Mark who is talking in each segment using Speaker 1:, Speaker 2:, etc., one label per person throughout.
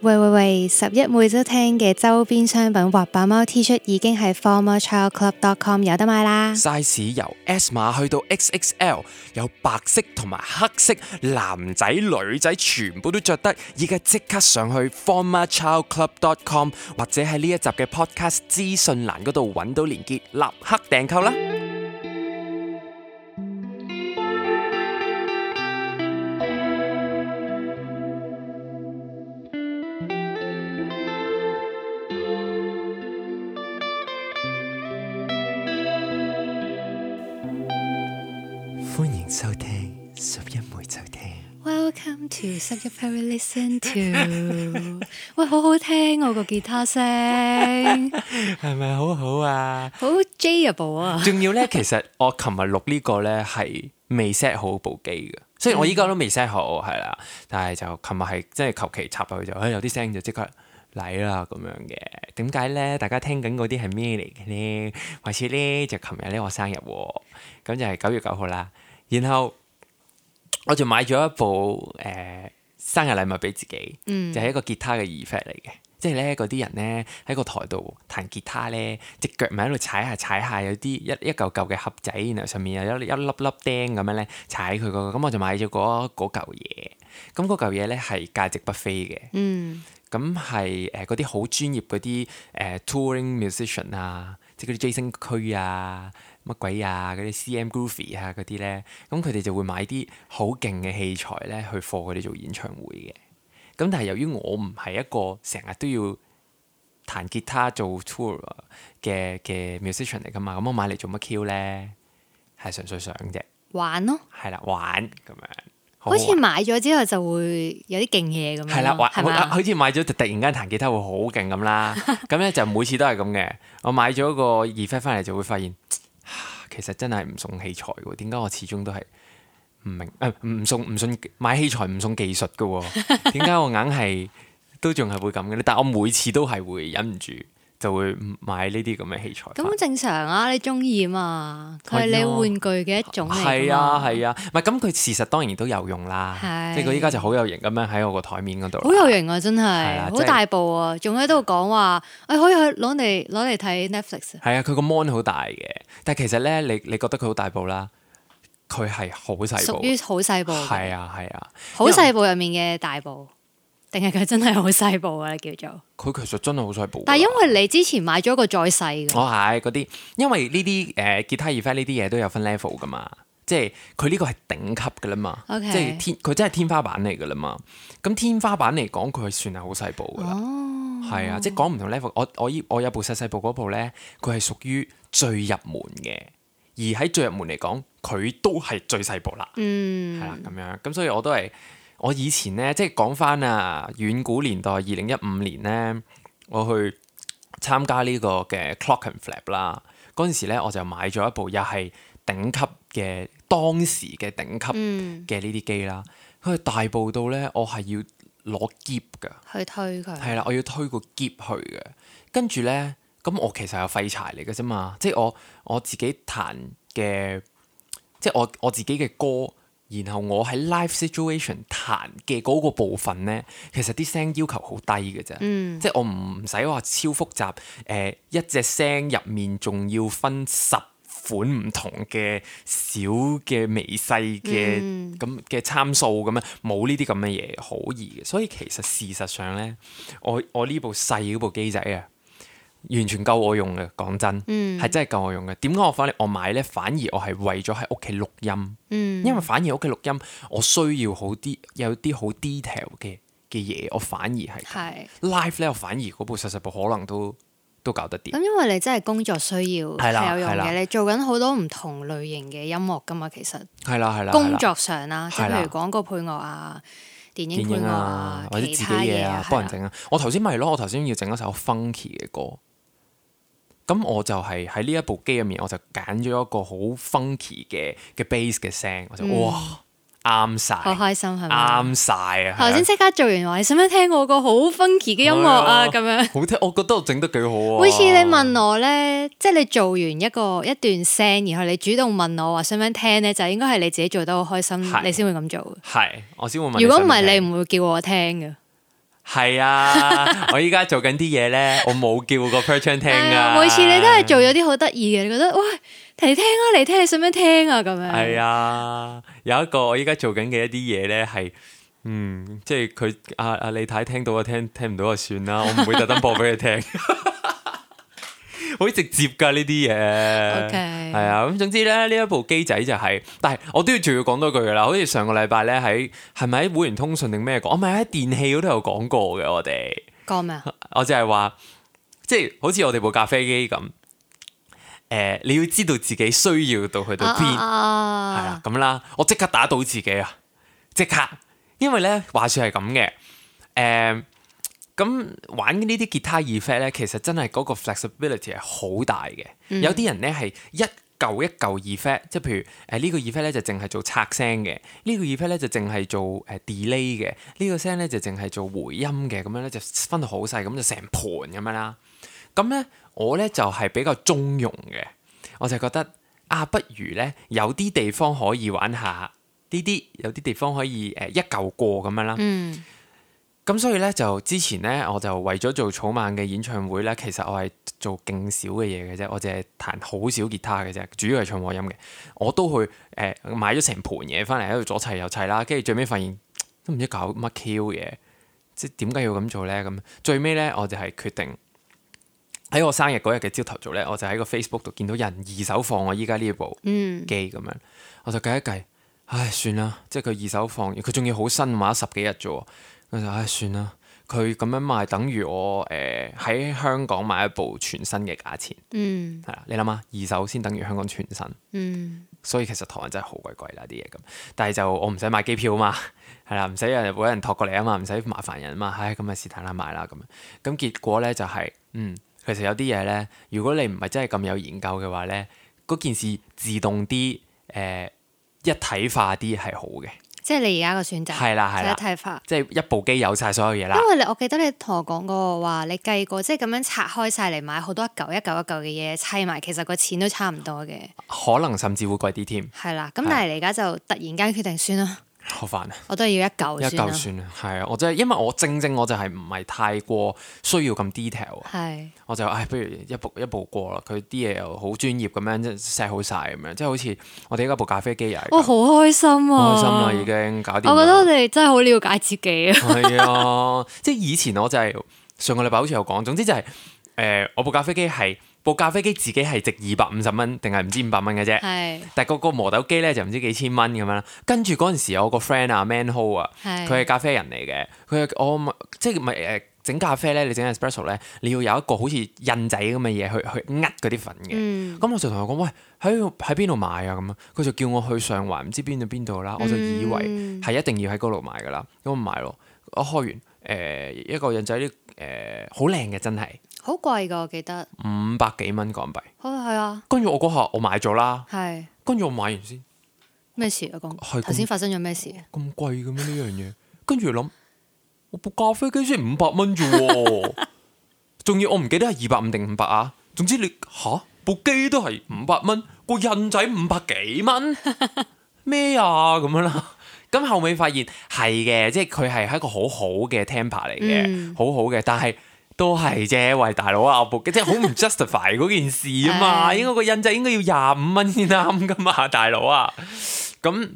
Speaker 1: 喂！11每周聽嘅周邊商品滑板貓 T 恤已經喺 formerchildclub.com 有得買啦。
Speaker 2: size 由 S 碼去到 XXL， 有白色同埋黑色，男仔女仔全部都着得。而家即刻上去 formerchildclub.com 或者喺呢一集嘅 podcast 資訊欄嗰度揾到連結，立刻訂購啦！歡迎收聽11每週聽。
Speaker 1: Welcome to 11 Perry Listen to 喂，好好聽我個吉他聲，
Speaker 2: 係咪好好啊？
Speaker 1: 好 Jable 啊！
Speaker 2: 仲要呢，其實我琴日錄呢個呢係未 set 好部機嘅，雖然我依家都未 set 好，係啦，但係就琴日係即係求其插落去就，有啲聲就即刻嚟啦咁樣嘅。點解呢？大家聽緊嗰啲係咩嚟嘅呢？話說呢，就琴日呢我生日喎，咁就係9月9號啦。然後我就買咗一部生日禮物俾自己，就係一個吉他嘅 effect 嚟嘅。即係咧嗰啲人咧喺個台度彈吉他咧，隻腳咪喺度踩下，有啲一嚿嚿嘅盒仔，然後上面又有一粒粒釘咁樣咧踩佢個，咁我就買咗嗰嚿嘢。咁嗰嚿嘢咧係價值不菲嘅。咁係嗰啲好專業嗰啲touring musician 啊，即係嗰啲 Jason 區啊。乜鬼啊！嗰啲 CM Groovy 啊嗰啲咧，咁佢哋就會買啲好勁嘅器材咧去貨佢哋做演唱會嘅。咁但係由於我唔係一個成日都要彈吉他做 tour 嘅 musician 嚟噶嘛，咁我買嚟做乜 Q 咧？係純粹想啫，
Speaker 1: 玩咯，
Speaker 2: 係啦，玩咁樣。
Speaker 1: 好似買咗之後就會有啲勁嘢咁樣，
Speaker 2: 係啦，
Speaker 1: 係嘛？
Speaker 2: 好似買咗就突然間彈吉他會好勁咁啦。咁咧就每次都係咁嘅。我買咗個 effect 翻嚟就會發現。其實真係唔送器材喎，點解我始終都係唔明？唔送買器材唔送技術嘅喎，點解我硬係都仲係會咁嘅咧？但係我每次都係會忍唔住就會買呢啲咁嘅器材。
Speaker 1: 咁好正常啊，你中意啊嘛，佢係你玩具嘅一種嚟㗎嘛。
Speaker 2: 係啊，唔係咁佢事實當然都有用啦，即係佢依家就好有型咁樣喺我個台面嗰度。好
Speaker 1: 有型啊，真係好大部啊，仲喺度講話可以去攞嚟睇 Netflix。係
Speaker 2: 啊，佢個 mon 好大嘅，但係其實咧，你覺得佢好大部啦，佢係好細部，
Speaker 1: 屬於好細部。
Speaker 2: 係啊，
Speaker 1: 好細部入面嘅大部。定係佢真係好細部啊？叫做
Speaker 2: 佢其實真係好細部。
Speaker 1: 但係因為你之前買咗一個再細嘅，
Speaker 2: 我係嗰啲，因為呢啲吉他 effect 呢啲嘢都有分 level 噶嘛，即係佢呢個係頂級噶啦嘛，okay. 即係佢真係天花板嚟噶啦嘛。咁天花板嚟講，佢係算係好細部噶啦，係啊，即係講唔同 level。我有部細部嗰部咧，佢係屬於最入門嘅，而喺最入門嚟講，佢都係最細部啦。係啦咁樣，咁所以我都係。我以前咧，即係講翻啊，遠古年代2015年咧，我去參加呢個嘅 Clockenflap 啦。嗰陣時咧，我就買咗一部又係頂級嘅當時嘅頂級嘅呢啲機啦。佢係大部到咧，我係要攞喼㗎，
Speaker 1: 去推佢。係
Speaker 2: 啦，我要推個喼去嘅。跟住咧，咁我其實係廢柴嚟嘅啫嘛，即係我自己彈嘅，即係我自己嘅歌。然後我喺 live situation 彈嘅嗰個部分咧，其實啲聲要求好低嘅啫，即係我唔使話超複雜，一隻聲入面仲要分10款唔同嘅小嘅微細嘅咁嘅參數咁樣，冇呢啲咁嘅嘢好易嘅，所以其實事實上咧，我呢部細嗰部機仔啊，完全夠我用嘅，講真，係真係夠我用嘅。點解我買咧？反而我係為咗喺屋企錄音，因為反而屋企錄音，我需要有啲好 detail 嘅嘢，我反而係 live 咧，我反而嗰部細部可能都搞得掂。
Speaker 1: 咁因為你真係工作需要係有用嘅，你做緊好多唔同類型嘅音樂噶嘛，其實係啦，工作上啦，即係譬如廣告配樂啊。電影配樂啊，
Speaker 2: 或者自己嘢啊，幫人整啊。我頭先咪咯，我頭先要整一首 funky 嘅歌，咁我就係喺呢一部機入面，我就揀咗一個好 funky 嘅 bass 嘅聲，我就哇啱晒，
Speaker 1: 好開心係咪？
Speaker 2: 啱晒啊！
Speaker 1: 頭先即刻做完話，你想唔想聽我個好 funky 嘅音樂啊？咁樣
Speaker 2: 好聽，我覺得我整得幾好啊！
Speaker 1: 好似你問我咧，即係你做完一段聲，然後你主動問我話想唔想聽咧，就應該係你自己做得好開心，你先會咁做。
Speaker 2: 係，我先會問。
Speaker 1: 如果唔係，你唔會叫我聽嘅。
Speaker 2: 係啊，我依家做緊啲嘢咧，我冇叫個 Perchan 聽啊。
Speaker 1: 每次你都係做咗啲好得意嘅，你覺得喂嚟聽啊嚟聽，你想唔想聽啊咁樣？
Speaker 2: 係啊，有一個我依家做緊嘅一啲嘢咧係，即係佢阿李太聽到就聽唔到就算啦，我唔會特登播俾佢聽。好直接㗎呢啲嘢，係啊，咁總之咧呢一部機仔就係，但係我都要仲要講多句㗎啦，好似上個禮拜咧係咪喺會員通訊定咩講？我咪喺電器嗰度有講過嘅，我哋
Speaker 1: 講咩啊？
Speaker 2: 我就係話，即係好似我哋部咖啡機咁，你要知道自己需要到去到邊，係啦咁啦，我即刻打倒自己啊，即刻，因為咧話説係咁嘅，咁玩呢啲吉他 effect 咧，其實真係嗰個 flexibility 係好大嘅。有啲人咧係一嚿 effect， 即係譬如呢個 effect 咧就淨係做拆聲嘅，呢個 effect 咧就淨係做delay 嘅，呢個聲咧就淨係做回音嘅，咁樣咧就分到好細，咁就成盤咁樣啦。咁咧我咧就係比較中庸嘅，我就覺得不如咧有啲地方可以玩下呢啲，有啲地方可以一嚿過咁樣啦。咁所以咧就之前咧我就為咗做草蜢嘅演唱會咧，其實我係做勁少嘅嘢嘅啫，我淨係彈好少吉他嘅啫，主要係唱和音嘅。我都去買咗成盤嘢翻嚟喺度左砌右砌啦，跟住最尾發現都唔知搞乜 Q 嘢，即係點解要咁做咧？咁最尾咧我就係決定喺我生日嗰日嘅朝頭早咧，我就喺個 Facebook 度見到人二手放我依家呢部機咁樣，我就計一計，唉算啦，即係佢二手放，佢仲要好新，買咗10幾日啫喎。我就算啦，佢咁樣賣等於我喺香港買一部全新嘅價錢，係啦，你諗下，二手先等於香港全新，所以其實台灣真係好鬼貴啦啲嘢咁，但係就我唔使買機票啊嘛，係啦，唔使有人託過嚟啊嘛，唔使麻煩人啊嘛，咁咪是但啦買啦咁結果咧就係，其實有啲嘢咧，如果你唔係真係咁有研究嘅話咧，嗰件事自動啲一體化啲係好嘅。
Speaker 1: 即係你而家個選擇係啦，一體化，
Speaker 2: 即係一部機有晒所有嘢啦。
Speaker 1: 因為我記得你同我講過話，你計過即係咁樣拆開晒嚟買好多一嚿嘅嘢砌埋，其實個錢都差唔多嘅。
Speaker 2: 可能甚至會貴啲添。
Speaker 1: 係啦，咁但係你而家就突然間決定算啦。
Speaker 2: 好煩啊！
Speaker 1: 我都係要一嚿
Speaker 2: 算啦，係啊！我真係因為我正我就係唔係太過需要咁 detail 啊，我就不如一步過啦。佢啲嘢又好專業咁樣，即係 set 好晒咁樣，即係好似我哋依家部咖啡機又係。
Speaker 1: 我好開心啊！
Speaker 2: 開心啦，已經搞掂。
Speaker 1: 我覺得我哋真係好了解自己啊！
Speaker 2: 係啊，即係以前我就係上個禮拜好似有講，總之就係我部咖啡機係。部咖啡機自己係值250蚊定係唔知500蚊嘅啫，但係個磨豆機咧就唔知幾千蚊咁樣啦。跟住嗰陣時有個 friend 啊 Manho 啊，佢係咖啡人嚟嘅，我即係咪整咖啡咧？你整 espresso 咧，你要有一個好似印仔咁嘅嘢去嗰啲粉嘅。咁我就同佢講：喂，喺邊度買啊？咁佢就叫我去上環唔知邊度啦。我就以為係一定要喺嗰度買噶啦，咁我買咯。我開完一個印仔啲好靚嘅真係。
Speaker 1: 好貴㗎，我記得
Speaker 2: 500幾蚊港幣。
Speaker 1: 係啊。
Speaker 2: 跟住我嗰下我買咗啦。跟住我買完先。
Speaker 1: 咩事啊？頭先發生咗咩事啊？
Speaker 2: 咁貴嘅咩呢樣嘢？跟住諗，我部咖啡機先500蚊啫喎，仲要我唔記得係250定500啊。總之你部機都係500蚊，個印仔500幾蚊咩啊咁樣啦。咁後尾發現係嘅，即係佢係一個好好嘅 temper 嚟嘅，好好嘅，但係。都係啫，喂大佬啊，部機即係好唔 justify 嗰件事啊嘛，應該個印仔應該要25蚊先啱噶嘛，大佬啊。咁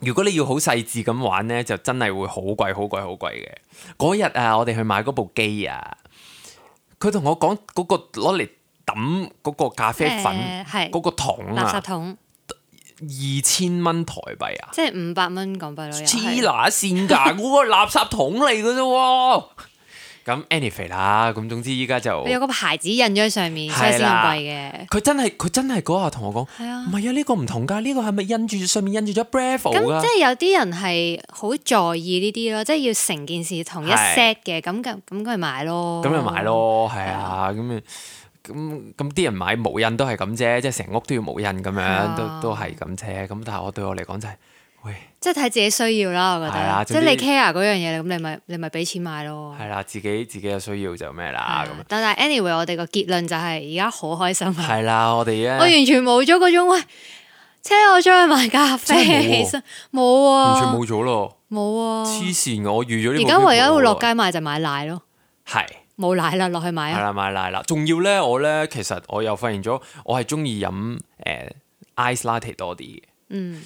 Speaker 2: 如果你要好細緻咁玩咧，就真係會好貴嘅。嗰日啊，我哋去買嗰部機啊，佢同我講嗰個攞嚟抌嗰個咖啡粉嗰個桶啊，
Speaker 1: 垃圾桶
Speaker 2: 2000蚊台幣啊，
Speaker 1: 即係500蚊港幣咯，
Speaker 2: 黐乸線㗎，嗰個垃圾桶嚟㗎啫喎。咁 anyway 啦，咁總之依家就
Speaker 1: 有個牌子印咗喺上面，所以先咁貴嘅。
Speaker 2: 佢真係嗰下同我講，唔係啊，呢個唔同㗎，呢個係咪印住上面印住咗 Bravo 㗎？
Speaker 1: 咁即係有啲人係好在意呢啲咯，即係要成件事同一 set 嘅，咁咪買咯。咁咪買咯，
Speaker 2: 係啊，咁啲人買無印都係咁啫，即係成屋都要無印咁樣，都係咁啫。咁但係對我嚟講就係。
Speaker 1: 即係睇自己需要啦，我覺得。即係你 care 嗰樣嘢，咁你咪俾錢買咯。
Speaker 2: 係啦，自己有需要就咩啦咁。
Speaker 1: 但係 anyway，我哋個結論就係而家好開心啊。
Speaker 2: 係啦，我哋
Speaker 1: 我完全冇咗嗰種喂，車我出去買咖啡，其實冇啊，
Speaker 2: 完全冇咗咯，
Speaker 1: 冇啊，
Speaker 2: 黐線！我預咗呢。
Speaker 1: 而家唯一會落街買就買奶咯，
Speaker 2: 係
Speaker 1: 冇奶啦，落去買啊。
Speaker 2: 係啦，買奶啦。仲要咧，我咧其實我又發現咗，我係中意飲ice latte 多啲嘅。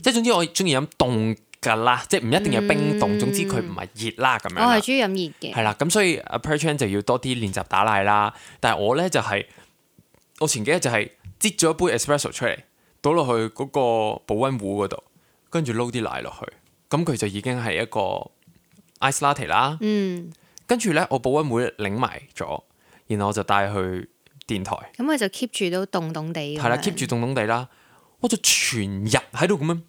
Speaker 2: 即係總之我中意飲凍㗎啦，即係唔一定係冰凍，總之佢唔係熱啦咁樣。
Speaker 1: 我係中意飲熱嘅。係
Speaker 2: 啦，咁所以阿 Perchan 就要多啲練習打奶啦。但係我咧就係、我前幾日就係擠咗一杯 espresso 出嚟。倒落去嗰個保溫壺嗰度，跟住撈啲奶落去，咁佢就已經係一個 ice latte 啦。跟住咧，我保溫壺擰埋咗，然後我就帶去電台。
Speaker 1: 咁佢就 keep 住都凍凍地。
Speaker 2: 係啦，keep 住凍凍地啦。我就全日喺度咁樣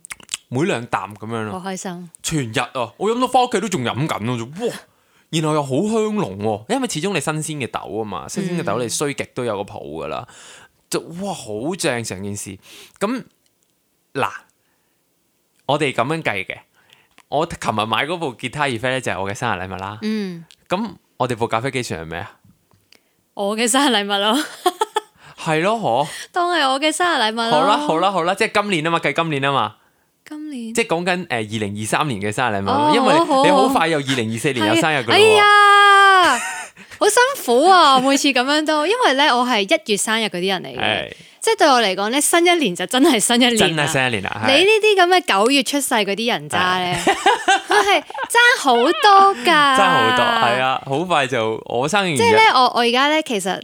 Speaker 2: 每兩啖咁樣咯。
Speaker 1: 好開心！
Speaker 2: 全日啊，我飲到翻屋企都仲飲緊咯，哇！然後又好香濃喎，因為始終你新鮮嘅豆啊嘛，新鮮嘅豆你衰極都有個泡噶啦。就哇好正成件事，咁嗱，我哋咁樣計嘅。我琴日買嗰部吉他 Effect 咧就係我嘅生日禮物啦。咁我哋部咖啡機算係咩啊？
Speaker 1: 我嘅生日禮物咯。
Speaker 2: 係咯，嗬。當
Speaker 1: 係我嘅生日禮物咯。
Speaker 2: 好啦，即係今年啊嘛，計今年啊嘛。
Speaker 1: 今年。即
Speaker 2: 係講緊2023年嘅生日禮物，因為你好快又2024年有生日噶啦。
Speaker 1: 哎呀！好辛苦啊！每次咁樣都，因為咧我係1月生日嗰啲人嚟嘅，即係對我嚟講咧，新一年就真係新一年，真係新一年啦。你呢啲咁嘅9月出世嗰啲人渣咧，佢係爭好多㗎，爭好多，係啊，好快就我生日。即係咧，我而家咧其實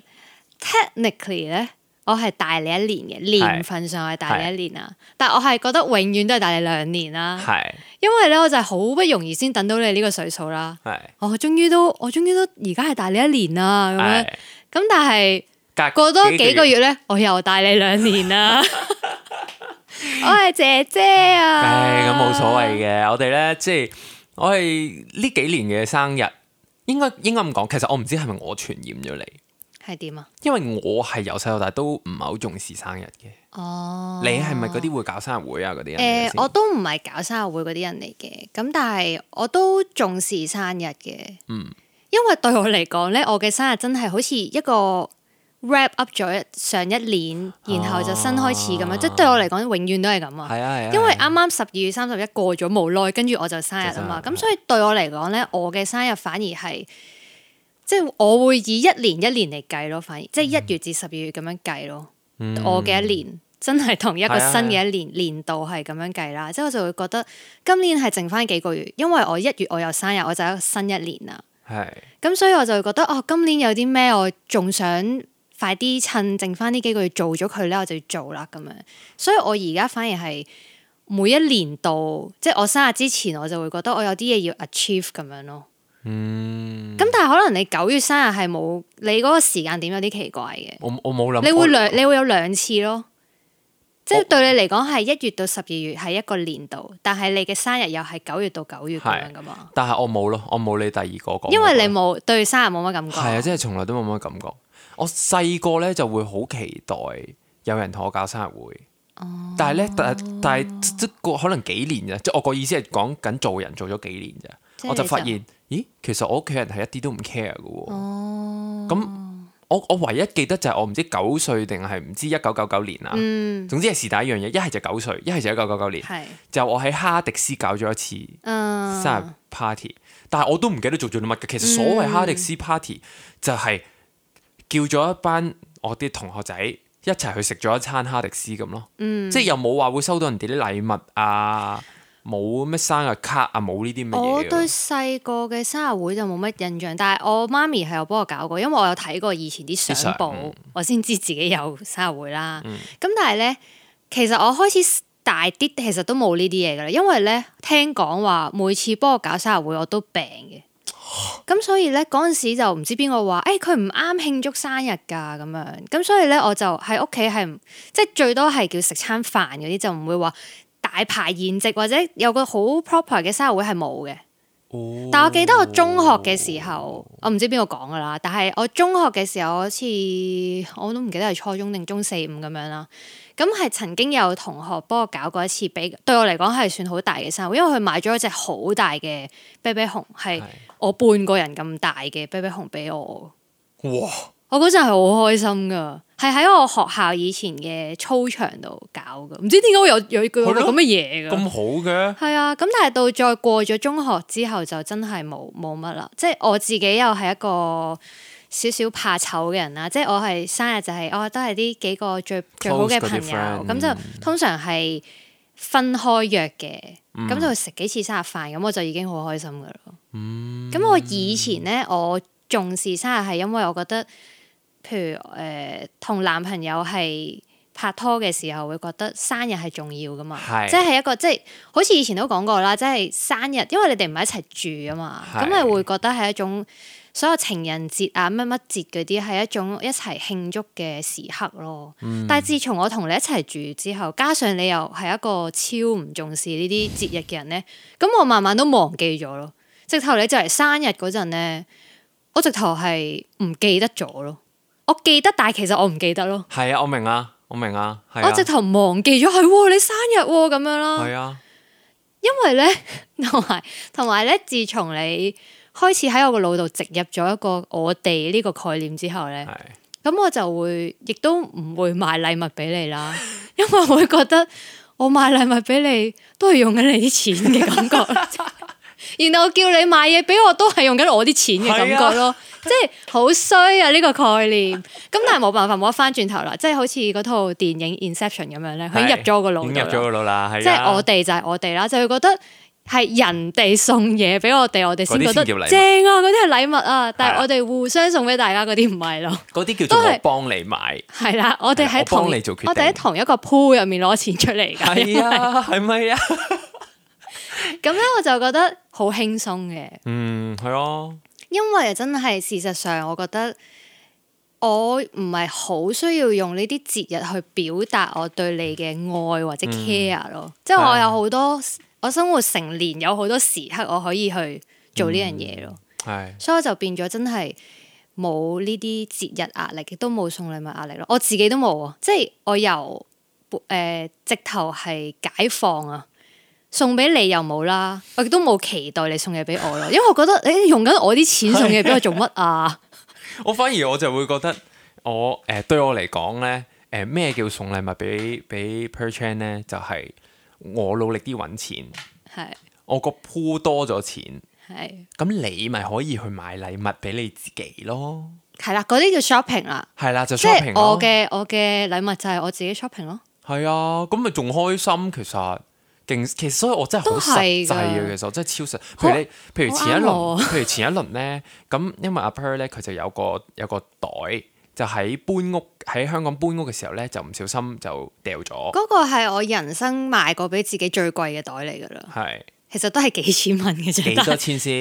Speaker 1: technically 咧，我係大你一年嘅，年份上係大你一年啊，但係我係覺得永遠都係大你2年啦。係。因為咧，我就係好不容易先等到你呢個歲數啦。我終於都而家係大你1年啦，咁樣。咁但係過多幾個月咧，我又大你2年啦。我係姐姐啊。咁冇所謂嘅，我哋咧即係我係呢幾年嘅生日，應該咁講。其實我唔知係咪我傳染咗你。係點啊？因為我係由細到大都唔係好重視生日嘅。哦，你係咪嗰啲會搞生日會啊？嗰啲人？我都唔係搞生日會嗰啲人嚟嘅。咁但係我都重視生日嘅。因為對我嚟講咧，我嘅生日真係好似一個 wrap up 咗上一年，然後就新開始咁樣。即係對我嚟講，永遠都係咁啊。係啊。因為啱啱12月31過咗冇耐，跟住我就生日啊嘛。咁所以對我嚟講咧，我嘅生日反而係。即係我會以一年嚟計咯，反而即係1月至12月咁樣計咯。我嘅一年真係同一個新嘅一年年度係咁樣計啦。即係我就會覺得今年係剩翻幾個月，因為我1月我有生日，我就有一個新一年啦。係。咁所以我就會覺得今年有啲咩我仲想快啲趁剩翻呢幾個月做咗佢咧，我就要做啦咁樣。所以我而家反而係每一年度，即係我生日之前，我就會覺得我有啲嘢要 achieve 咁樣咯。咁但係可能你9月生日係冇，你嗰個時間點有啲奇怪嘅。我冇諗。你會有2次咯，即係對你嚟講係1月到12月係一個年度，但係你嘅生日又係9月到9月咁樣噶嘛。但係我冇咯，我冇你第二個講。因為你冇對生日冇乜感覺。係啊，即係從來都冇乜感覺。我細個咧就會好期待有人同我搞生日會。但係咧，但係即係可能幾年啫，即係我個意思係講緊做人做咗幾年咋。我就發現，咦，其實我屋企人係一啲都唔 care 嘅喎。咁我唯一記得就係我唔知9歲定係唔知1999年啊。總之係是但一樣嘢，一係就9歲，一係就1999年。就我喺哈迪斯搞咗一次生日 party，但係我都唔記得做咗啲乜嘅。其實所謂哈迪斯 party 就係叫咗一班我啲同學仔一齊去食咗一餐哈迪斯咁咯。即係又冇話會收到人哋啲禮物啊。冇咩生日卡啊，冇呢啲乜嘢。我對細個嘅生日會就冇乜印象，但係我媽咪係有幫我搞過，因為我有睇過以前啲相簿，我先知自己有生日會啦。咁但係咧，其實我開始大啲，其實都冇呢啲嘢噶啦，因為咧聽講話每次幫我搞生日會我都病嘅，咁所以咧嗰陣時就唔知邊個話，佢唔啱慶祝生日㗎咁樣，咁所以咧我就喺屋企係即係最多係叫食餐飯嗰啲，就唔會話大排筵席或者有個好 proper 嘅生日會係冇嘅。但我記得我中學嘅時候，我唔知邊個講噶啦，但係我中學嘅時候好似我都唔記得係初中定中4、5咁樣啦。咁係曾經有同學幫我搞過一次，對我嚟講係算好大嘅生日會，因為佢買咗一隻好大嘅啤啤熊，係我半個人咁大嘅啤啤熊俾我。哇！我嗰陣係好開心噶，係係喺我學校以前嘅操場度搞噶，唔知點解會有個咁嘅嘢噶。
Speaker 2: 咁好嘅。
Speaker 1: 係啊，咁但係到再過咗中學之後就真係冇乜啦。即係我自己又係一個少少怕醜嘅人啦。即係我係生日就係都係啲幾個最好嘅朋友，咁就通常係分開約嘅，咁就食幾次生日飯，咁我就已經好開心噶啦。咁我以前咧，我重視生日係因為我覺得，譬如同男朋友係拍拖嘅時候，會覺得生日係重要噶嘛，即係一個即係好似以前都講過啦，即係生日，因為你哋唔係一齊住啊嘛，咁你會覺得係一種所有情人節啊乜乜節嗰啲係一種一齊慶祝嘅時刻咯。但係自從我同你一齊住之後，加上你又係一個超唔重視呢啲節日嘅人咧，咁我慢慢都忘記咗咯。直頭你就嚟生日嗰陣咧，我直頭係唔記得咗咯。我記得，但係其實我唔記得咯。係
Speaker 2: 啊，我明啊，
Speaker 1: 我直頭忘記咗係你生日咁樣啦。
Speaker 2: 係啊，
Speaker 1: 因為咧同埋咧，自從你開始喺我個腦度植入咗一個我哋呢個概念之後咧，咁我就會亦都唔會買禮物俾你啦，因為我會覺得我買禮物俾你都係用緊你啲錢嘅感覺。然後叫你買嘢俾我都係用緊我啲錢嘅感覺咯，即係好衰啊呢個概念。咁但係冇辦法，冇得翻轉頭啦，即係好似嗰套電影 Inception 咁樣咧，佢已經入咗我個腦度，
Speaker 2: 入咗個腦啦。
Speaker 1: 即係我哋就係我哋啦，就會覺得係人哋送嘢俾我哋，我哋先覺得正啊，嗰啲係禮物啊。但係我哋互相送俾大家嗰啲唔係咯，嗰啲
Speaker 2: 叫做我幫你買。係啦，
Speaker 1: 我哋喺我哋喺同一個 pool 入面攞錢出嚟㗎。
Speaker 2: 係啊，係咪啊？
Speaker 1: 咁咧我就覺得好輕鬆嘅，
Speaker 2: 係咯，
Speaker 1: 因為真係事實上，我覺得我唔係好需要用呢啲節日去表達我對你嘅愛或者 care 咯，即係我有好多我生活成年有好多時刻我可以去做呢樣嘢咯，所以我就變咗真係冇呢啲節日壓力，亦都冇送禮物壓力咯，我自己都冇啊，即係我由直頭係解放啊。送俾你又冇啦，我亦都冇期待你送嘢俾我咯，因為我覺得你用緊我啲錢送嘢俾我做乜啊？
Speaker 2: 我反而我就會覺得對我嚟講咧，咩叫送禮物俾 Per Chan 咧？就係我努力啲揾錢，我個 pool 多咗錢，咁你咪可以去買禮物俾你自己咯。係啦，嗰啲叫 shopping 啦。係啦，就 shopping 咯。即係我嘅禮物就係我自己 shopping 咯。係啊，咁咪仲開心其實。其實所以我真係好實際嘅，其實我真係超實。譬如前一輪咧，咁因為阿 Per 咧佢就有個袋，就喺香港搬屋嘅時候咧，就唔小心就掉咗。嗰個係我人生買過俾自己最貴嘅袋嚟噶啦。係，其實都係幾千蚊嘅啫。幾多錢先？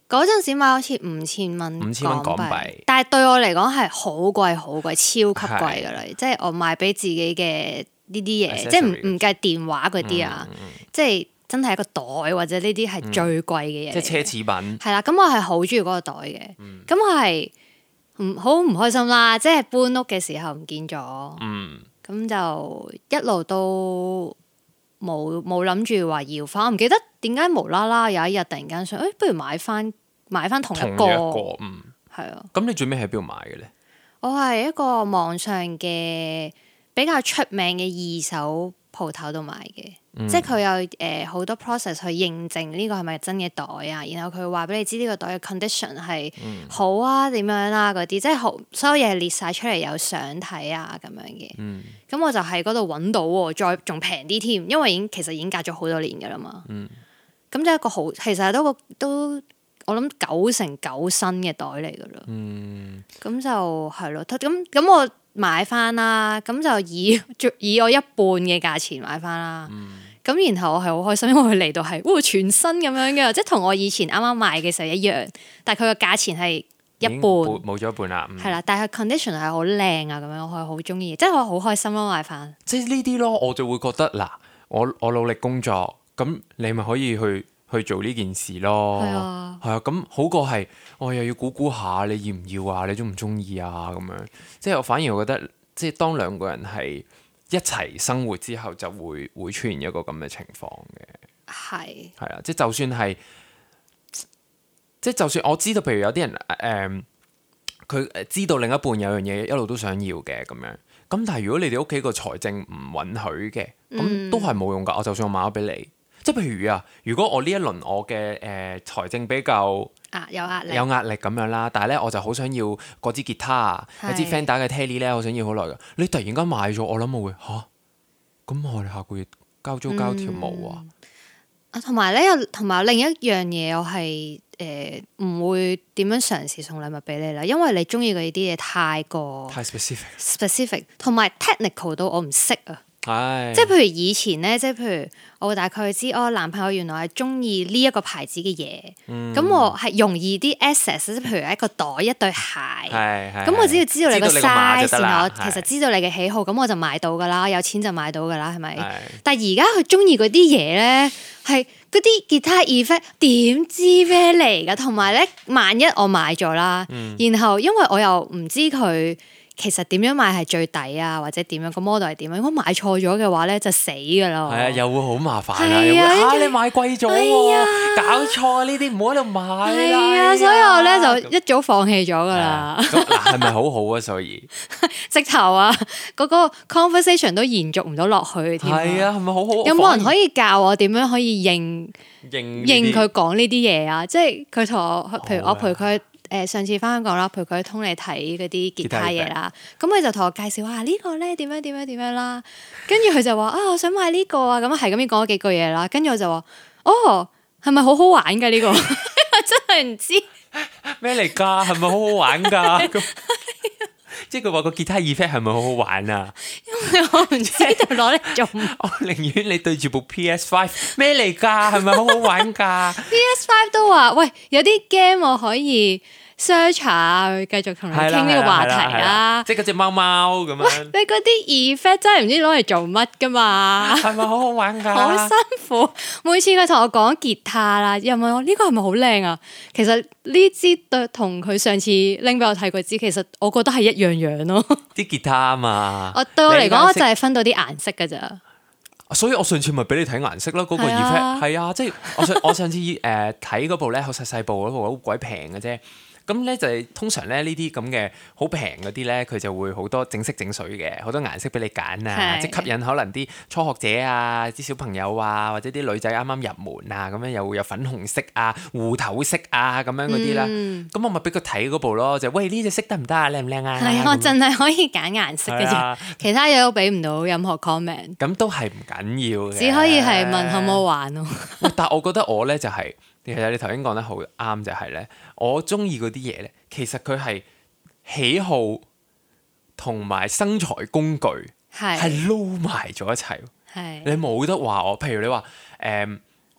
Speaker 2: 嗰陣時買好似5000蚊港幣，但係對我嚟講係好貴，超級貴噶啦。即係我買俾自己嘅。呢啲嘢即係唔計電話嗰啲啊，即係真係一個袋或者呢啲係最貴嘅嘢，即係奢侈品。係啦，咁我係好中意嗰個袋嘅，咁我係好唔開心啦，即係搬屋嘅時候唔見咗，咁就一路都冇諗住話要翻，我唔記得點解無啦啦有一日突然間想，不如買翻同一個，係啊。咁你最尾喺邊度買嘅咧？我係一個網上嘅。比較出名嘅二手鋪頭度買嘅，即係佢有好多 process 去認證呢個係咪真嘅袋啊，然後佢話俾你知呢個袋嘅 condition 係好啊點樣啊嗰啲，即係所有嘢列晒出嚟有相睇啊咁樣嘅。咁我就喺嗰度揾到喎，再仲平啲添，因為其實已經隔咗好多年噶啦嘛。咁就一個好，其實都我諗99%新嘅袋嚟噶啦。咁就係咯，咁我。買翻啦，咁就以我一半嘅價錢買翻啦。咁然後我係好開心，因為佢嚟到係全新咁樣嘅，即係同我以前啱啱買嘅時候一樣，但係佢個價錢係一半，冇咗一半啦。係啦，但係 condition 係好靚啊，咁樣我係好中意，即係我好開心咯買翻。即係呢啲咯，我就會覺得嗱，我努力工作，咁你咪可以去做呢件事咯。係啊，咁好過係我又要估下你要唔要啊，你中唔中意啊咁樣。即係我反而我覺得，即係當兩個人係一齊生活之後，就會出現一個咁嘅情況嘅。係啊，即係就算係，即係就算我知道，譬如有啲人佢知道另一半有樣嘢一路都想要嘅咁樣，咁但係如果你哋屋企個財政唔允許嘅，咁都係冇用㗎。我就算我買咗俾你，即係譬如啊，如果我呢一輪我嘅財政比較
Speaker 1: 有壓力
Speaker 2: 咁樣啦，但係咧我就好想要嗰支吉他啊，有支 Fender 嘅 Tele 咧，我想要好耐㗎。你突然間買咗，我諗我會嚇，咁我哋下個月交租交條毛啊！
Speaker 1: 同埋另一樣嘢，我係唔會點樣嘗試送禮物俾你啦，因為你中意嗰啲嘢太 specific，同埋 technical 到我唔識啊。即係譬如以前咧，即係譬如我會大概知男朋友原來係中意呢一個牌子嘅嘢，咁我係容易啲 access， 即係譬如一個袋一對鞋，咁我只要知道你個 size， 然後我其實知道你嘅喜好，咁我就買到噶啦，有錢就買到噶啦，係咪？但係而家佢中意嗰啲嘢咧，係嗰啲吉他 effect 點知咩嚟噶？同埋咧，萬一我買咗啦，然後因為我又唔知佢其實點樣買係最抵啊，或者點樣個 model 係點樣？如果買錯咗嘅話咧，就死噶啦！
Speaker 2: 係啊，又會好麻煩啊！又會你買貴咗喎，搞錯啊！呢啲唔好喺度買啦！
Speaker 1: 係啊，所以我咧就一早放棄咗噶啦。
Speaker 2: 嗱，係咪好好啊？所以
Speaker 1: 直頭啊，嗰個 conversation 都延續唔到落去添。
Speaker 2: 係啊，係咪好好？
Speaker 1: 有冇人可以教我點樣可以應佢講呢啲嘢啊？即係佢同我，譬如我陪佢。上次翻香港啦，陪佢通嚟睇嗰啲吉他嘢啦，咁佢就同我介紹話呢個咧點樣啦，跟住佢就話我想買呢個啊，咁係咁樣講咗幾句嘢啦，跟住我就話係咪好好玩㗎呢個？真係唔知
Speaker 2: 咩嚟㗎，係咪好好玩㗎？即係佢話個吉他 effect 係咪好好玩啊？
Speaker 1: 因為我唔知道攞嚟做乜。
Speaker 2: 我寧願你對住部 PS5 咩嚟㗎？係咪好好玩㗎
Speaker 1: ？PS5 都話喂，有啲 game 我可以 search 下，繼續同你傾呢個話題啦。
Speaker 2: 即係嗰隻貓貓咁樣。
Speaker 1: 你嗰啲 effect 真係唔知攞嚟做乜㗎嘛？
Speaker 2: 係咪好好玩㗎？
Speaker 1: 好辛苦，每次佢同我講吉他啦，又問我呢個係咪好靚啊？其實呢支對同佢上次拎俾我睇嗰支，其實我覺得係一樣咯。啲
Speaker 2: 吉他啊嘛。
Speaker 1: 對我嚟講，我就係分到啲顏色㗎咋。
Speaker 2: 所以我上次咪俾你睇顏色咯，嗰個 effect 係啊，即係我上次睇嗰部咧，好細部嗰部好鬼平嘅啫。咁咧就係通常咧呢啲咁嘅好平嗰啲咧，佢就會好多整色整水嘅，好多顏色俾你揀啊，即係吸引可能啲初學者啊、啲小朋友啊，或者啲女仔啱啱入門啊，咁樣又會有粉紅色啊、芋頭色啊咁樣嗰啲啦。咁我咪俾佢睇嗰部咯，就喂呢隻色得唔得啊？靚唔靚啊？
Speaker 1: 係我淨係可以揀顏色嘅啫，其他嘢都俾唔到任何 comment。
Speaker 2: 咁都係唔緊要嘅，
Speaker 1: 只可以係問好唔好玩咯。
Speaker 2: 但係我覺得我咧就係。其實你頭先講得好啱，就係咧，我中意嗰啲嘢咧，其實佢係喜好同埋生財工具係撈埋咗一齊。你冇得話我，譬如你話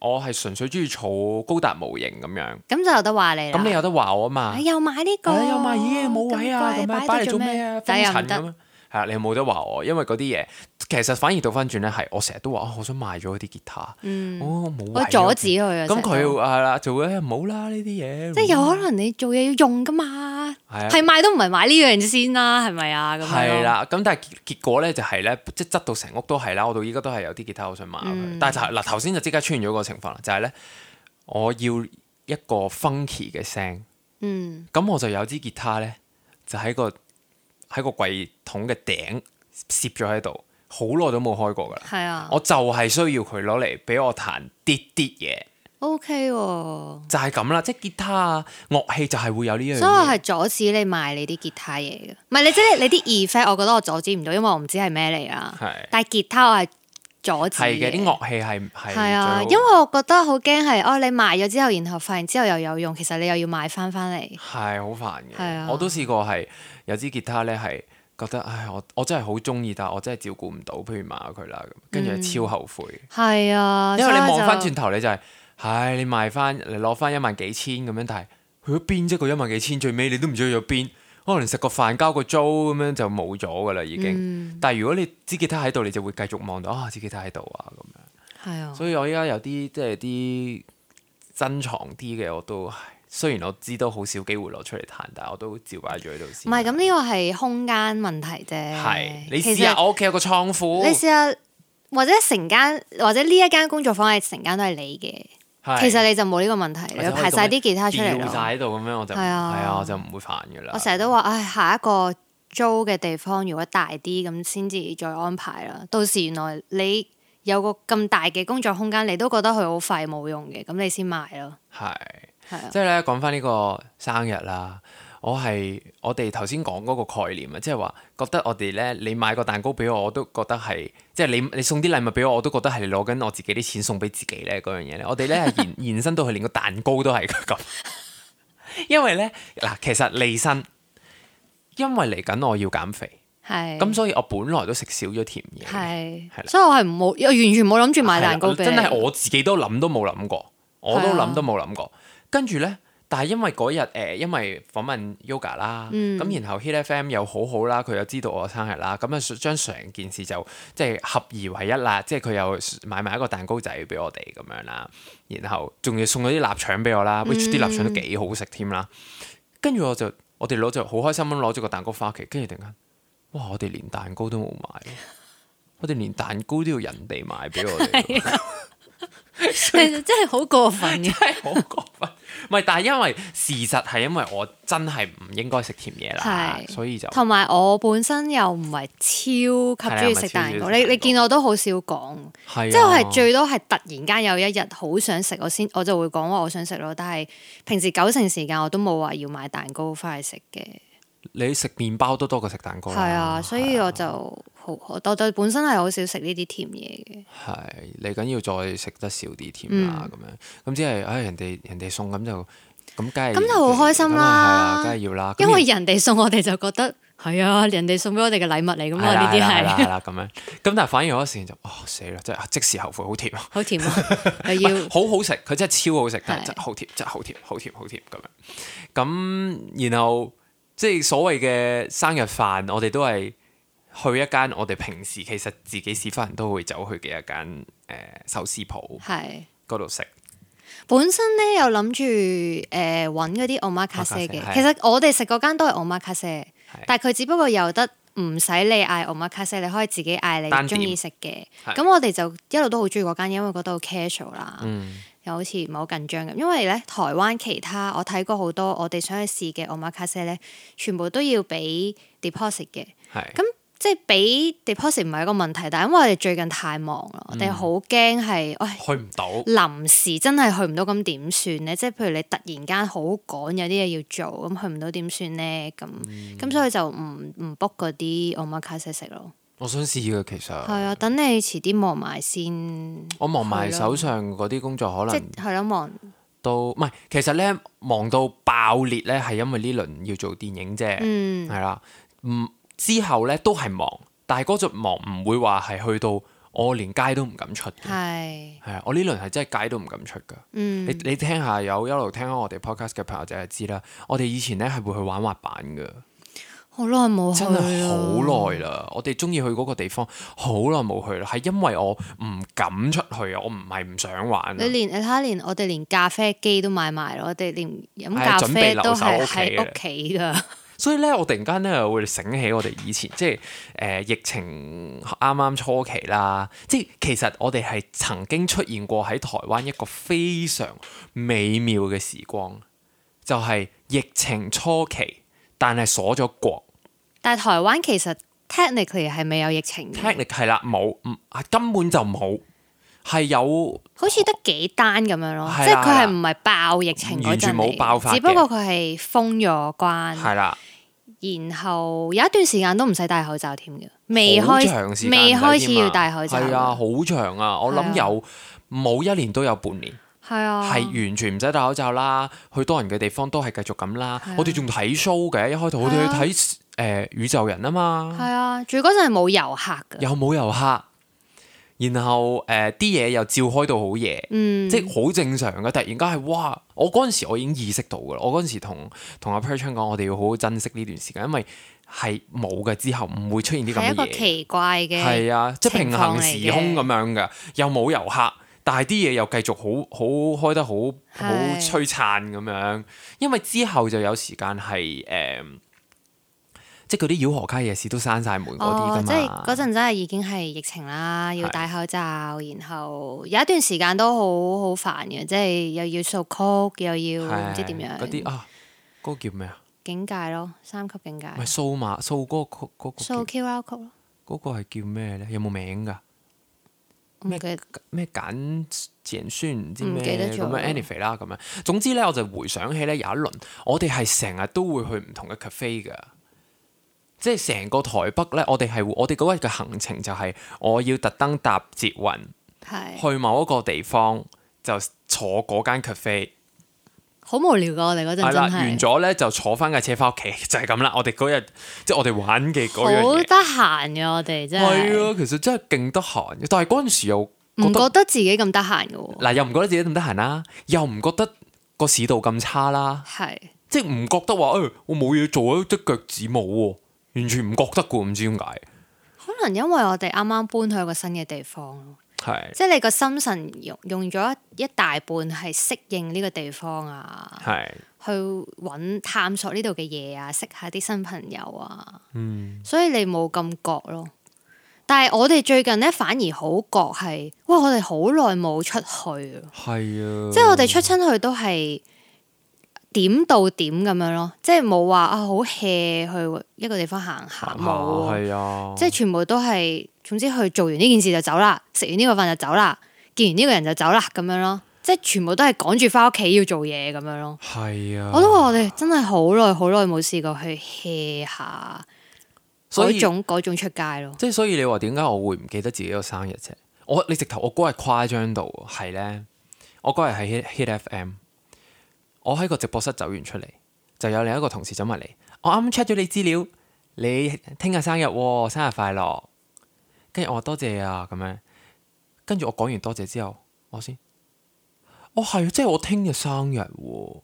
Speaker 2: 我係純粹中意儲高達模型咁樣，咁
Speaker 1: 就有得話你啦。
Speaker 2: 咁你有得話我啊嘛？
Speaker 1: 又買呢個，
Speaker 2: 又買咦冇位啊，咁樣擺嚟做咩啊？封塵咁樣。係啊，你冇得話我，因為嗰啲嘢其實反而倒翻轉咧，係我成日都話我想賣咗嗰啲吉他，冇位，
Speaker 1: 我阻止佢啊。
Speaker 2: 咁佢係啦，做咧唔好啦呢啲嘢，
Speaker 1: 即係有可能你做嘢要用噶嘛，係買都唔係買呢樣先啦，係咪啊？咁
Speaker 2: 係啦，咁但係結果咧就係咧，即係執到成屋都係啦，我到依家都係有啲吉他我想買，但係嗱頭先就即刻出現咗個情況啦，就係咧我要一個 funky 嘅聲，咁我就有支吉他咧就喺個櫃桶嘅頂攝咗喺度，好耐都冇開過噶啦。係啊，我就係需要佢攞嚟俾我彈啲嘢。OK 喎，就係咁啦，即係吉他啊，樂器就係會有呢樣嘢。所以我係阻止你賣你啲吉他嘢嘅，唔係你即係你啲 effect，我覺得我阻止唔到，因為我唔知係咩嚟啊。係，但係吉他我係阻止嘅。係嘅，啲樂器係啊，因為我覺得好驚係你賣咗之後，然後發現之後又有用，其實你又要買翻嚟，係好煩嘅。係啊，我都試過係。有支吉他咧係覺得，我真係好中意，但係我真係照顧唔到，譬如賣咗佢啦，跟住超後悔。係啊，因為你望翻轉頭你就係，你賣翻，你攞翻1萬幾千咁樣，但係去咗邊啫？個1萬幾千最尾你都唔知去咗邊，可能食個飯交個租咁樣就冇咗噶啦已經。但係如果你支吉他喺度，你就會繼續望到支吉他喺度啊咁樣。係啊，所以我依家有啲即係啲珍藏啲嘅我都。雖然我知都好少機會攞出嚟彈，但係我都照擺住喺度先。唔係咁，呢個係空間問題啫。係你試下，我屋企有個倉庫。你試下，或者成間，或者呢一間工作坊係成間都係你嘅。其實你就冇呢個問題，你排晒啲吉他出嚟咯。掉晒喺度咁樣，我就係啊，我就唔會煩噶啦。我成日都話，下一個
Speaker 1: 租嘅地方如果大啲咁先至再安排啦。到時原來你有個咁大嘅工作空間，你都覺得佢好廢冇用嘅，咁你先買咯。係啊，
Speaker 2: 即係咧講翻呢個生日啦，我哋頭先講嗰個概念啊，即係話覺得我哋咧，你買個蛋糕俾我，我都覺得係即係你送啲禮物俾我，我都覺得係你攞緊我自己啲錢送俾自己咧嗰樣嘢咧。我哋咧係延伸到去連個蛋糕都係咁，因為咧嗱，其實利申，因為嚟緊我要減肥。咁所以我本來都食少咗甜嘢，係
Speaker 1: 所以我係完全冇諗住買蛋糕俾你。
Speaker 2: 真係我自己都諗都冇諗過，我都諗都冇諗過。跟住咧，但係因為嗰日因為訪問 Yoga 啦，咁然後 Hit FM 又好好啦，佢又知道我生日啦，咁啊將成件事就即係合二為一啦，即係佢又買埋一個蛋糕仔俾我哋咁樣啦，然後仲要送咗啲臘腸俾我啦，which 啲臘腸都幾好食添啦。跟住我哋攞就好開心咁攞咗個蛋糕翻屋企，跟住突然間。哇！我哋連蛋糕都冇買，我哋連蛋糕都要人哋買俾我哋，
Speaker 1: 真係好過分嘅，
Speaker 2: 真係好過分。唔係，但係因為事實係因為我真係唔應該食甜嘢啦，所以就
Speaker 1: 同埋我本身又唔係超級中意食蛋糕，你見我都好少講，即係我係最多係突然間有一日好想食，我就會講話我想食咯。但係平時9成時間我都冇話要買蛋糕翻去食嘅。
Speaker 2: 你食麵包都多過食蛋糕啦，
Speaker 1: 係啊，所以我就我對本身係好少食呢啲甜嘢嘅。
Speaker 2: 係嚟緊要再食得少啲甜啦，咁樣咁只係人哋送咁就咁，梗係
Speaker 1: 咁就好開心啦，
Speaker 2: 梗係要啦。
Speaker 1: 因為人哋送我哋就覺得係啊，人哋送俾我哋嘅禮物嚟㗎嘛，呢啲係
Speaker 2: 啦咁樣。咁但係反而有時就死啦，真係即時後悔，好甜啊！
Speaker 1: 好甜啊，又要
Speaker 2: 好好食，佢真係超好食，但係真係好甜，真係好甜，好甜，好甜咁樣。咁然後。即係所謂嘅生日飯，我哋都係去一間我哋平時其實自己屎忽人都會走去嘅一間壽司鋪，嗰度食。
Speaker 1: 本身咧有諗住揾嗰啲 omakase 嘅，其實我哋食嗰間都係 omakase，但係佢只不過有得唔使你嗌 omakase，你可以自己嗌你中意食嘅。咁我哋就一路都好中意嗰間，因為覺得好 casual 啦。又好似唔係好緊張咁，因為咧台灣其他我睇過好多我哋想去試嘅 omakase 咧，全部都要俾 deposit 嘅。咁即係俾 deposit 唔係一個問題，但係因為我哋最近太忙啦，我哋好驚係
Speaker 2: 去唔到，
Speaker 1: 臨時真係去唔到咁點算咧？即係譬如你突然間好趕有啲嘢要做，咁去唔到點算咧？咁所以就唔 book 嗰啲 omakase 食咯。
Speaker 2: 我想試嘅其實係
Speaker 1: 啊，等你遲啲忙埋先。
Speaker 2: 我忙埋手上嗰啲工作，可能
Speaker 1: 係咯，忙
Speaker 2: 都唔係。其實咧忙到爆裂咧，係因為呢輪要做電影啫。係啦，之後咧都係忙，但係嗰隻忙唔會話係去到我連街都唔敢出。係啊，我呢輪係真係街都唔敢出㗎。你聽下有一路聽開我哋 podcast 嘅朋友就係知啦。我哋以前咧係會去玩滑板㗎。
Speaker 1: 好耐冇去，
Speaker 2: 真係好耐啦！我哋中意去嗰個地方，好耐冇去啦，係因為我唔敢出去啊！我唔係唔想玩。你睇
Speaker 1: 下，連我哋連咖啡機都買埋咯，我哋連飲咖啡都係喺屋企噶。
Speaker 2: 所以咧，我突然間咧會醒起我哋以前即係疫情啱啱初期啦，即係其實我哋係曾經出現過喺台灣一個非常美妙嘅時光，就係疫情初期，但係鎖咗國。
Speaker 1: 但係台灣其實 technically 係未有疫情嘅。
Speaker 2: technically 係啦，冇，根本就冇，係有
Speaker 1: 好似得幾單咁樣咯，即係佢係唔係爆疫情嗰陣，
Speaker 2: 完全冇爆發嘅，
Speaker 1: 只不過佢係封咗關。係啦，然後有一段時間都唔使戴口罩添嘅，未開始要戴口罩。
Speaker 2: 係啊，好長啊，我諗有冇1年都有半年。
Speaker 1: 係啊，
Speaker 2: 係完全唔使戴口罩啦，去多人嘅地方都係繼續咁啦。我哋仲睇 show 嘅，一開頭我哋去睇宇宙人啊嘛。
Speaker 1: 係啊，仲嗰陣係冇遊客㗎。
Speaker 2: 又冇遊客，然後啲嘢又照開到好夜，即係好正常嘅。突然間係哇！我嗰陣時我已經意識到㗎啦。我嗰陣時同阿 Perchan 講，我哋要好好珍惜呢段時間，因為係冇嘅之後唔會出現啲咁嘅嘢。係一個
Speaker 1: 奇怪嘅
Speaker 2: 係啊，即係平衡時空咁樣嘅，又冇遊客。但係啲嘢又繼續好開得好璀璨咁樣，因為之後就有時間係即係嗰啲繞河街夜市都閂晒門嗰啲㗎嘛。
Speaker 1: 即係嗰陣真係已經係疫情啦，要戴口罩，然後有一段時間都好煩嘅，即係又要掃曲，又要唔知點樣。
Speaker 2: 嗰啲嗰個叫咩啊？
Speaker 1: 境界咯，3級境界。
Speaker 2: 咪掃嗰個
Speaker 1: 掃 QR code 咯。
Speaker 2: 嗰個係叫咩咧？有冇名㗎？咩簡宣唔知咩咁樣 anyway 啦咁樣。總之咧，我就回想起咧有一輪，我哋係成日都會去唔同嘅 cafe 㗎。即係成個台北咧，我哋嗰日嘅行程就係我要特登搭捷運去某一個地方，就坐嗰間 cafe。
Speaker 1: 好無聊㗎，我哋嗰陣真係。
Speaker 2: 完咗咧就坐翻架車翻屋企，就係咁啦。我哋嗰日即係我哋玩嘅嗰樣嘢。好
Speaker 1: 得閒嘅我哋真係。
Speaker 2: 係啊，其實真係勁得閒嘅，但係嗰陣時又
Speaker 1: 唔覺得自己咁得閒嘅喎。
Speaker 2: 嗱，又唔覺得自己咁得閒啦，又唔覺得個市道咁差啦。係。即係唔覺得話我冇嘢做啊，隻腳趾冇喎，完全唔覺得嘅，唔知點解。
Speaker 1: 可能因為我哋啱啱搬去一個新嘅地方咯。係，即係你個心神用咗一大半係適應呢個地方啊，係去揾探索呢度嘅嘢啊，識下啲新朋友啊，所以你冇咁覺咯。但係我哋最近咧反而好覺係，哇！我哋好耐冇出去啊，係啊，即係我哋出親去都係點到點咁樣咯，即係冇話好 hea 去一個地方行下冇，係啊，即係全部都係。總之去做完呢件事就走啦，食完呢個飯就走啦，見完呢個人就走啦咁樣咯，即係全部都係趕住翻屋企要做嘢咁樣咯。係啊，我都話我哋真係好耐冇試過去 hea 下嗰種出街咯。即係
Speaker 2: 所以你話點解我會唔記得自己個生日啫？你直頭我嗰日誇張到係咧，我嗰日喺 Hit FM， 我喺個直播室走完出嚟，就有另一個同事走埋嚟，我啱啱 check 咗你資料，你聽日生日喎，生日快樂。跟住我話多謝啊咁樣，跟住我講完多謝之後，我先，係即係我聽日生日喎，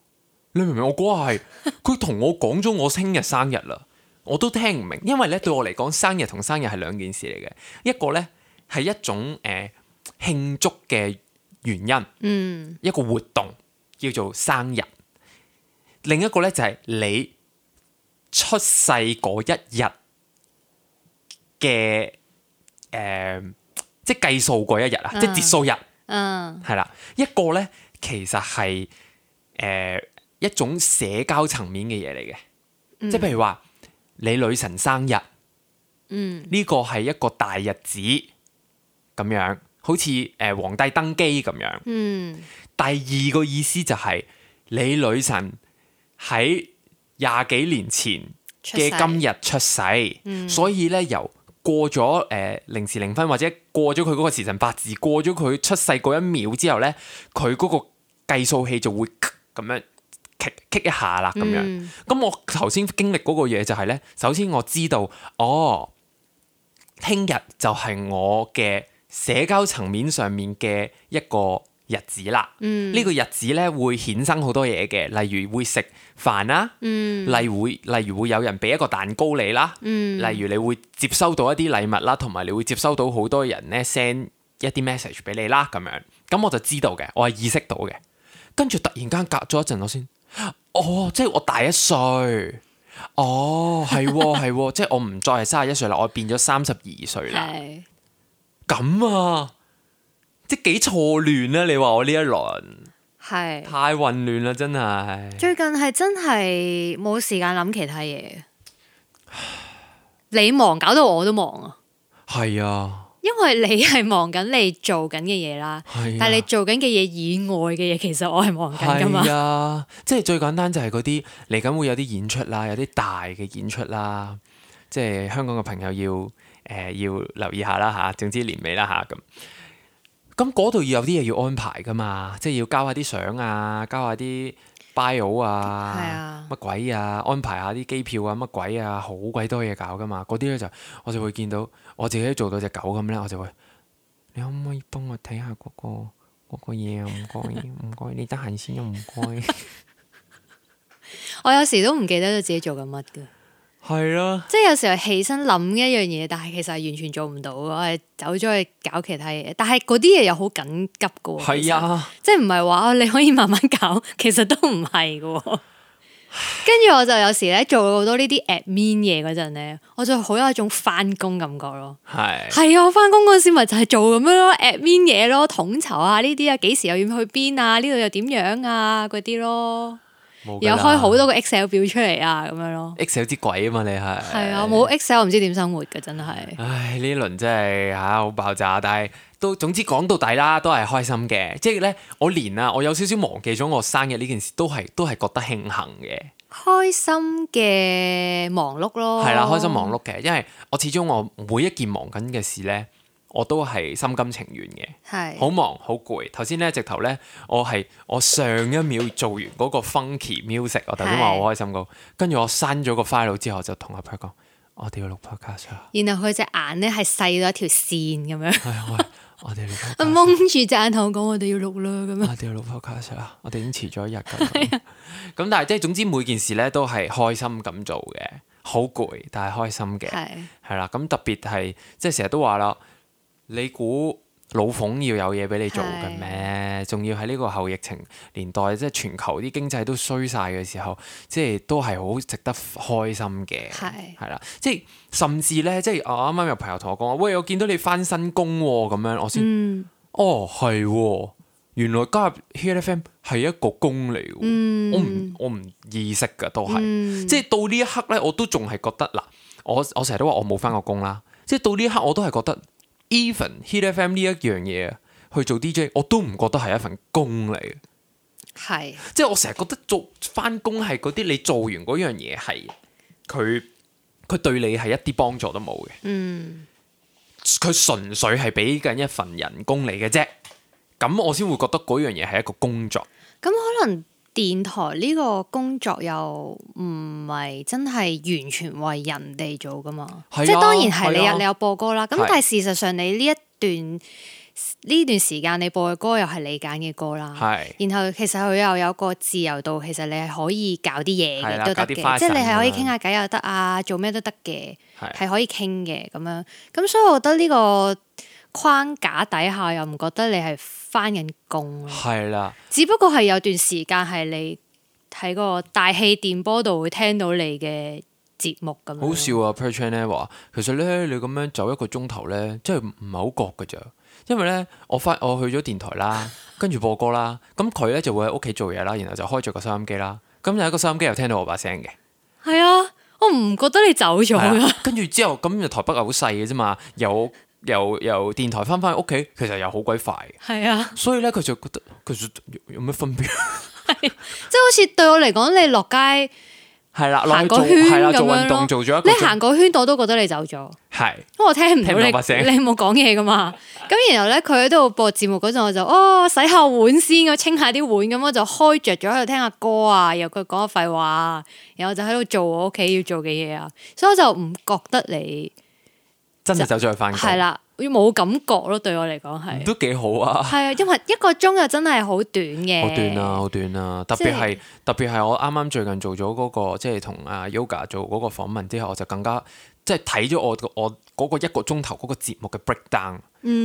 Speaker 2: 你明唔明？我嗰下係佢同我講咗我聽日生日啦，我都聽唔明，因為咧對我嚟講，生日同生日係兩件事嚟嘅，一個咧係一種慶祝嘅原因，一個活動叫做生日，另一個咧就係你出世嗰一日嘅。即係計數嗰一日啊，即係節數日，係啦。一個咧，其實係一種社交層面嘅嘢嚟嘅，即係譬如話你女神生日，呢個係一個大日子咁樣，好似皇帝登基咁樣。第二個意思就係你女神喺20幾年前嘅今日出世，所以咧由過咗0時0分或者過咗佢嗰個時辰八字，過咗佢出世嗰一秒之後咧，佢嗰個計數器就會咁樣棘一下啦咁樣。咁我頭先經歷嗰個嘢就係咧，首先我知道聽日就係我嘅社交層面上面嘅一個日子啦。呢個日子咧會衍生好多嘢嘅，例如會食飯啦，例如會有人俾一個蛋糕你啦，例如你會接收到一啲禮物啦，同埋你會接收到好多人咧 send 一啲 message 俾你啦咁樣，咁我就知道嘅，我係意識到嘅。跟住突然間隔咗一陣我先，即係我大1歲，係，即係我唔再係31歲啦，我變咗32歲啦。咁啊，即係幾錯亂啊！你話我呢一輪係太混亂啦，真係。
Speaker 1: 最近係真係冇時間諗其他嘢，你忙搞到我都忙啊。係啊，因為你係忙緊你做緊嘅嘢啦，但係你做緊嘅嘢以外嘅嘢，其實我係忙緊噶嘛。係啊，
Speaker 2: 即係最簡單就係嗰啲嚟緊會有啲演出啦，有啲大嘅演出啦，即係香港嘅朋友要留意下啦吓，總之年尾啦吓咁。咁嗰度要有啲嘢要安排噶嘛，即係要交下啲相啊，交下啲 bio 啊，乜鬼啊，安排下啲機票啊，乜鬼啊，好鬼多嘢搞噶嘛。嗰啲咧我就會見到我自己做到隻狗咁咧，我就會，你可唔可以幫我睇下嗰個嘢啊？唔該，你得閒先啊，唔該。
Speaker 1: 我有時都唔記得咗自己做緊乜噶。係啊，即係有時候起身諗一樣嘢，但係其實係完全做唔到，我係走咗去搞其他嘢。但係嗰啲嘢又好緊急噶，係啊，即係唔係話你可以慢慢搞，其實都唔係噶。跟住我就有時咧做好多呢啲 admin 嘢嗰陣咧，我就好有一種翻工感覺咯。係啊，我翻工嗰時咪就係做咁樣咯，admin 嘢咯，統籌啊呢啲啊，幾時又要去邊啊？呢度又點樣啊？嗰啲咯。有開好多個 Excel 表出嚟啊咁樣咯。
Speaker 2: Excel 之鬼啊嘛，你係
Speaker 1: 係啊，冇 Excel 唔知點生活嘅真係。
Speaker 2: 唉，呢輪真係好爆炸，但係都總之講到底啦，都係開心嘅。即係咧，我有少少忘記咗我生日呢件事，都係覺得慶幸嘅。
Speaker 1: 開心嘅忙碌咯，
Speaker 2: 係啦，開心忙碌嘅，因為我始終我每一件忙緊嘅事咧，我都係心甘情願嘅，係好忙好攰。頭先咧直頭咧，我上一秒做完嗰個 funky music， 我頭先話好開心嗰，跟住我刪咗個 file 之後，就同阿 Per 講，我哋要錄 podcast 啊。
Speaker 1: 然後佢隻眼咧係細到一條線咁樣。
Speaker 2: 係我哋錄 podcast。
Speaker 1: 蒙住隻眼同我講，我哋要錄啦咁樣。
Speaker 2: 我哋要錄 podcast 啊！我哋已經遲咗一日㗎。咁但係即係總之每件事咧都係開心咁做嘅，好攰但係開心嘅，係啦。咁特別係即係成日都話啦，你估老馮要有嘢俾你做嘅咩？仲要喺呢個後疫情年代，即係全球啲經濟都衰晒嘅時候，即係都係好值得開心嘅，係啦。即係甚至咧，即係我啱啱有朋友同我講話，喂，我見到你返新工喎，咁樣我先，哦係喎。原來加入 Hit FM 係一個工嚟嘅，我唔意識㗎，都係，即係到呢一刻咧，我都仲係覺得嗱，我成日都話我冇返過工啦，即係到呢一刻我都係覺得 even Hit FM 呢一樣嘢去做 DJ， 我都唔覺得係一份工嚟嘅，係，即係我成日覺得做返工係嗰啲你做完嗰樣嘢係佢對你係一啲幫助都冇嘅，佢純粹係俾緊一份人工嚟嘅啫。咁我先會覺得嗰樣嘢係一個工作。咁
Speaker 1: 可能電台呢個工作又唔係真係完全為人哋做噶嘛？即係當然係你有播歌啦。咁但係事實上你呢段時間你播嘅歌又係你揀嘅歌啦。然後其實佢又有個自由度，其實你係可以搞啲嘢嘅都得嘅，即係你係可以傾下偈又得啊，做咩都得嘅，係可以傾嘅咁樣。咁所以我覺得呢個框架底下又唔覺得你係返緊工，係啦。只不過係有段時間係你喺個大氣電波度會聽到你嘅節目咁樣。好笑啊
Speaker 2: Per Chan 咧話，其實咧你咁樣走一個鐘頭咧，真係唔係好覺㗎咋。因為咧我去咗電台啦，跟住播歌啦，咁佢咧就會喺屋企做嘢啦，然後就開咗個收音機啦，咁有一個收音機又聽到我把聲嘅。係啊，我唔覺得你走咗㗎。跟住之後咁台北係好細嘅啫嘛，由電台翻屋企，其實又好鬼快。係啊，所以咧佢就覺得其實有咩分別？即係好
Speaker 1: 似對我嚟講，你落街係啦，行個圈咁樣做運動做咗一個，你行個圈我都覺得你走咗。係，因為我聽唔到你冇講嘢噶嘛。咁然後咧，佢喺度播節目嗰陣，我就洗下碗先，我清下啲碗，咁我就開着咗喺度聽下歌啊，然後佢講下廢話，然後就喺度做我屋企要做嘅嘢啊，所以我就唔覺得你真係走咗去返工，係啦，冇感覺咯。對我嚟講係都幾好啊。係啊，因為一個鐘又真係好短嘅，好短啊，好短啊。特別係我啱啱最近做咗嗰個，即係同阿 Yoga 做嗰個訪問之後，我就更加即係睇咗我嗰個一個鐘頭嗰個節目嘅 breakdown，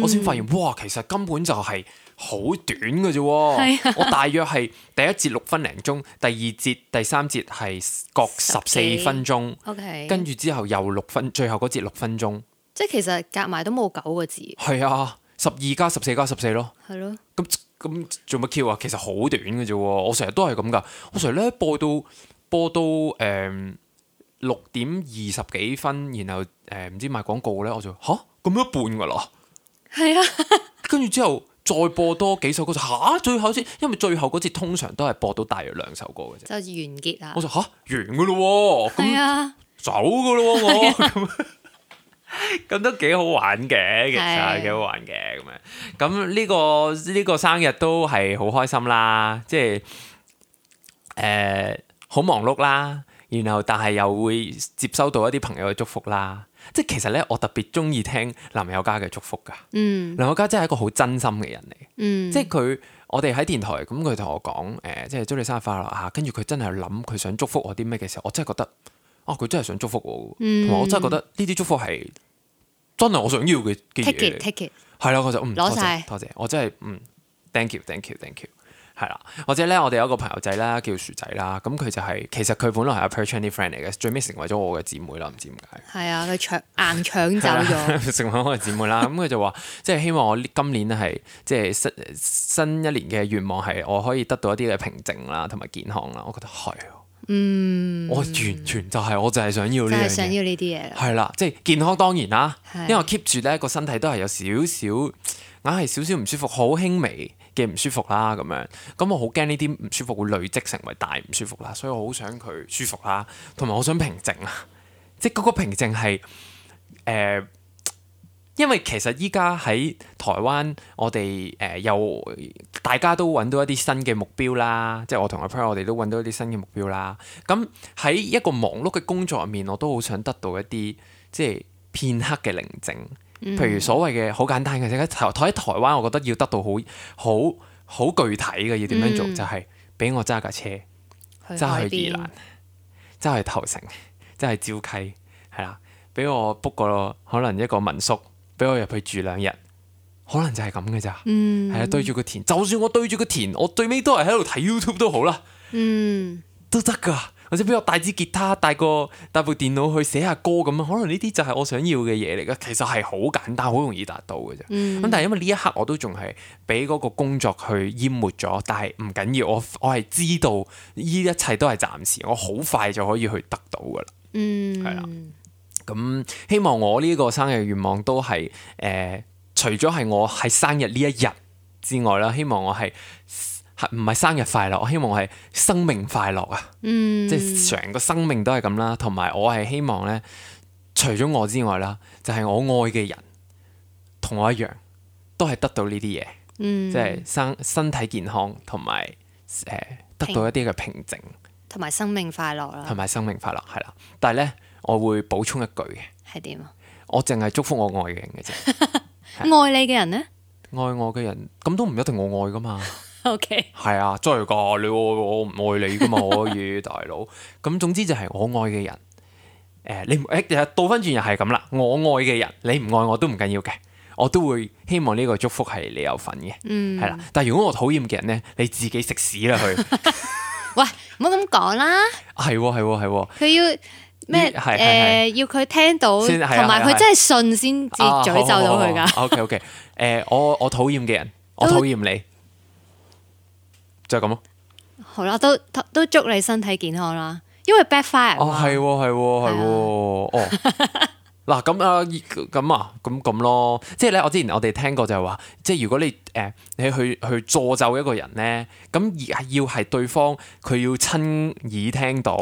Speaker 1: 我先發現哇，其實根本就係好短嘅啫。我大約係第一節6分零鐘，第二節、第三節係各14分鐘，跟住之後又6分，最後嗰節6分鐘。即係其實夾埋都冇9個字。係啊，12加14加14咯。係咯。咁做乜 Q 啊？其實好短嘅啫。我成日都係咁噶。我成日咧播到6點20幾分，然後唔知賣廣告咧，我就咁一半噶啦。係啊。跟住之後再播多幾首歌就最後先，因為最後嗰節通常都係播到大約2首歌嘅啫。就完結啦。我就完噶咯。係啊。走噶咯我。咁都幾好玩嘅，其實幾好玩嘅咁樣。咁呢個生日都係好開心啦，即係好忙碌啦。然後但係又會接收到一啲朋友嘅祝福啦。即係其實咧，我特別中意聽林宥嘉嘅祝福噶。林宥嘉真係一個好真心嘅人嚟。即係我哋喺電台咁，佢同我講即係祝你生日快樂嚇。跟住佢真係諗佢想祝福我啲咩嘅時候，我真係覺得佢真係想祝福我。同埋我真係覺得呢啲祝福係真係我想要嘅嘢。Take it，係啦，我就攞晒，多謝，我真係thank you，
Speaker 2: 係啦，或者咧，我哋有一個朋友仔啦，叫薯仔啦，咁佢就係其實佢本來係阿 Per Chan 啲 friend 嚟嘅，最尾成為咗我嘅姊妹啦，唔知點解。
Speaker 1: 係啊，佢硬搶走咗，
Speaker 2: 成為我嘅姊妹啦。咁佢就話，即係希望我今年咧係即係新一年嘅願望係我可以得到一啲嘅平靜啦，同埋健康啦。我覺得係，我完全就係我就係想要呢樣嘢，就係
Speaker 1: 想要呢啲嘢。
Speaker 2: 係啦，即係健康當然啦，因為我 keep 住咧個身體都係有少少硬係少少唔舒服，好輕微嘅唔舒服啦，咁樣，咁我好驚呢啲唔舒服會累積成為大唔舒服啦，所以我好想佢舒服啦，同埋我想平靜啊，即係嗰個平靜係因為其實依家喺台灣，我哋又大家都揾到一啲新嘅目標啦，即係我同阿 Per 我哋都揾到一啲新嘅目標啦。咁喺一個忙碌嘅工作入面，我都好想得到一啲即係片刻嘅寧靜。譬如所謂嘅好簡單嘅，喺台灣，我覺得要得到好具體嘅，要點樣做，就係俾我揸架車揸去宜蘭，揸去頭城，揸去礁溪，係啦，俾我 book 個可能一個民宿，俾我入去住2日，可能就係咁嘅咋，係啊，對住個田，就算我對住個田，我最尾都係喺度睇 YouTube 都好啦，都得噶。或者俾我帶支吉他，帶部電腦去寫下歌咁樣，可能呢啲就係我想要嘅嘢嚟嘅。其實係好簡單，好容易達到嘅啫。咁但係因為呢一刻我都仲係俾嗰個工作去淹沒咗，但係唔緊要，我係知道呢一切都係暫時，我好快就可以去得到噶啦。係啦，咁希望我呢個生日願望都係除咗係我係生日呢一日之外啦，希望我係唔係生日快樂，我希望我係生命快樂啊！即係成個生命都係咁啦，同埋我係希望咧，除咗我之外啦，就係我愛嘅人同我一樣，都係得到呢啲嘢，即係身體健康，同埋得到一啲嘅平靜，
Speaker 1: 同埋生命快樂啦，
Speaker 2: 同埋生命快樂係啦。但係咧，我會補充一句嘅，係
Speaker 1: 點啊？
Speaker 2: 我淨係祝福我愛嘅人嘅啫。
Speaker 1: 愛你嘅人咧？
Speaker 2: 愛我嘅人咁都唔一定我愛噶嘛。
Speaker 1: OK，
Speaker 2: 係啊，真係噶，你愛我唔愛你噶嘛，可以大佬。咁總之就係我愛嘅人，你倒翻轉又係咁啦。我愛嘅人，你唔愛我都唔緊要嘅，我都會希望呢個祝福係你有份嘅，係啦。但係如果我討厭嘅人咧，你自己食屎啦佢。
Speaker 1: 喂，唔好咁講啦。係。佢要咩？要佢聽到，同埋佢真係信先至詛咒到佢噶。
Speaker 2: OK， 我討厭嘅人，我討厭你。就係咁咯。
Speaker 1: 好啦，都祝你身體健康啦，因為 backfire。
Speaker 2: 係。嗱咁咯，即係咧，我之前我哋聽過就係話，即係如果你去詛咒一個人咧，咁而要係對方佢要親耳聽到，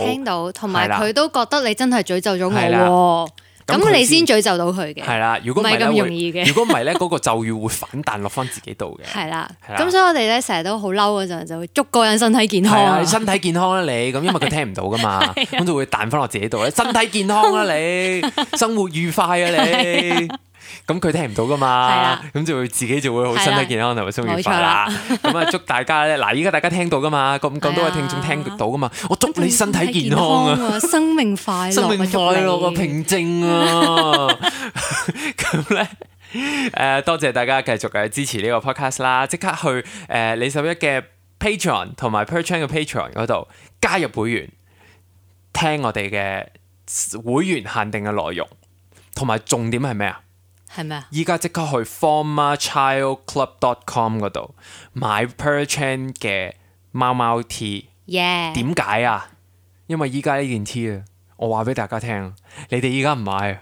Speaker 2: 同埋佢都覺得你真係詛咒咗我。咁你先詛咒到佢嘅，係啦。如果唔係咁容易嘅，如果唔係咧，嗰個咒語會反彈落翻自己度嘅。係啦，
Speaker 1: 咁所以我哋咧成日都好嬲嗰陣，就會祝個人身體健康。
Speaker 2: 係啊，身體健康啦你，咁因為佢聽唔到噶嘛，咁就會彈翻落自己度咧。身體健康啦你，生活愉快啊你。咁佢聽唔到噶嘛，咁就會自己就會好身體健康同埋生活愉快啦。咁啊，祝大家咧，嗱，依家大家聽到噶嘛，咁多位聽眾聽到噶嘛，我祝你身體健康啊，
Speaker 1: 生命快樂，生命快樂
Speaker 2: 啊，平靜啊。咁咧，多謝大家繼續嘅支持呢個 podcast 啦，即刻去李拾壹嘅 Patreon 同埋 Per Chan 嘅 Patreon 嗰度加入會員，聽我哋嘅會員限定嘅內容，同埋重點係咩啊？
Speaker 1: 係咩啊？
Speaker 2: 依家即刻去 formerchildclub.com 嗰度買 Per Chan 嘅貓貓 T。點解啊？因為依家呢件 T 啊，我話俾大家聽，你哋依家唔買啊，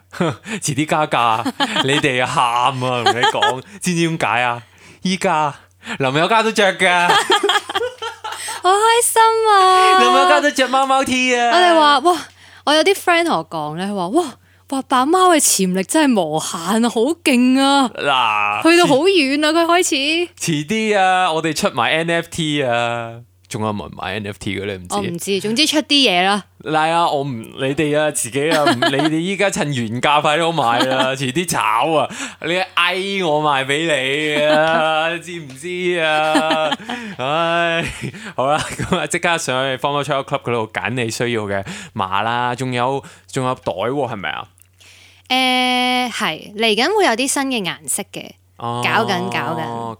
Speaker 2: 遲啲加價，你哋喊啊！同你講，知唔知點解啊？依家林宥嘉都着噶，
Speaker 1: 好開心啊！
Speaker 2: 林宥嘉都着貓貓 T 啊！
Speaker 1: 我哋話哇，我有啲 friend 同我講咧，佢話哇。白貓嘅潛力真係無限啊，好勁啊！嗱，去到好遠啊，佢開始。
Speaker 2: 遲啲啊，我哋出埋 NFT 啊，仲有冇人買 NFT 嘅咧？唔知。
Speaker 1: 我唔知，總之出啲嘢啦。
Speaker 2: 嗱啊，我唔你哋啊，自己啊，你哋依家趁原價快啲買啦，遲啲炒啊！你嗌我賣俾你啊，知唔知啊？唉，好啦，咁啊，即刻上去 Former Child Club 嗰度揀你需要嘅碼啦，仲有袋喎，係咪啊？
Speaker 1: 係嚟緊會有啲新嘅顏色嘅，搞緊。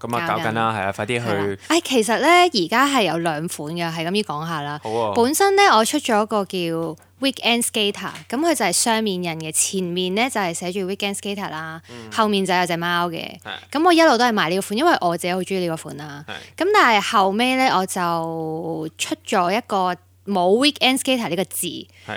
Speaker 2: 咁啊搞緊啦，係啊，快啲去。
Speaker 1: 其實咧而家係有兩款嘅，係咁要講下啦。
Speaker 2: 好啊。
Speaker 1: 本身咧我出咗一個叫 Weekend Skater，咁佢就係雙面印嘅，前面咧就係寫住 Weekend Skater 啦，後面就有隻貓嘅。咁我一路都係買呢個款，因為我自己好中意呢個款啦。咁但係後尾咧我就出咗一個冇 Weekend Skater 呢個字，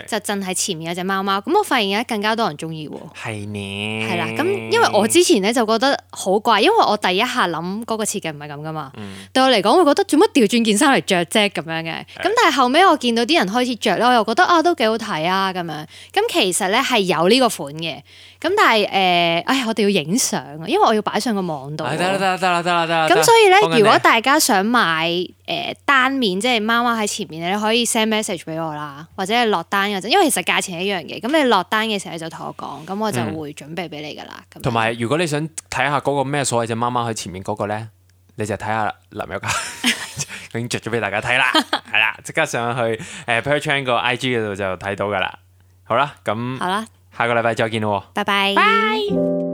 Speaker 1: 就淨係前面有隻貓貓。咁我發現而家更加多人中意喎。
Speaker 2: 係呢。
Speaker 1: 係啦，咁因為我之前咧就覺得好怪，因為我第一下諗嗰個設計唔係咁噶嘛。對我嚟講，我會覺得做乜調轉件衫嚟着啫咁樣嘅。咁但係後尾我見到啲人開始着咧，我又覺得都幾好睇啊咁樣。咁其實咧係有呢個款嘅。咁但係我哋要影相啊，因為我要擺上個網度。得啦。咁所以咧，如果大家想買單面，即係貓貓喺前面咧，你可以 send message 俾我啦，或者係落單嗰陣，因為其實價錢係一樣嘅。咁你落單嘅時候你就同我講，咁我就會準備俾你噶啦。
Speaker 2: 同埋如果你想睇下嗰個咩所謂隻貓貓喺前面嗰個咧，你就睇下林宥嘉已經着咗俾大家睇啦，係啦，即刻上去Perchan 個 IG 嗰度就睇到噶啦。好啦，咁下個禮拜再見咯，
Speaker 1: 拜拜。